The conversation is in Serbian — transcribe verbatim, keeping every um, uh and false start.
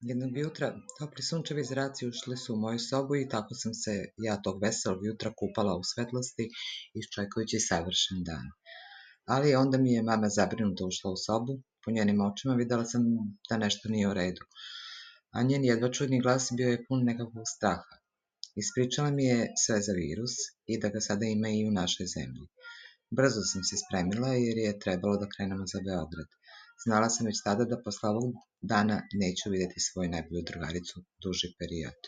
Jednog jutra topli sunčevi zraci ušli su u moju sobu i tako sam se ja tog veselog jutra kupala u svetlosti, iščekujući savršen dan. Ali onda mi je mama zabrinuto ušla u sobu, po njenim očima videla sam da nešto nije u redu, a njen jedva čudni glas bio je pun nekakvog straha. Ispričala mi je sve za virus i da ga sada ima i u našoj zemlji. Brzo sam se spremila jer je trebalo da krenemo za Beograd. Znala sam već tada da posle ovog dana neću videti svoju najbolju drugaricu duži period.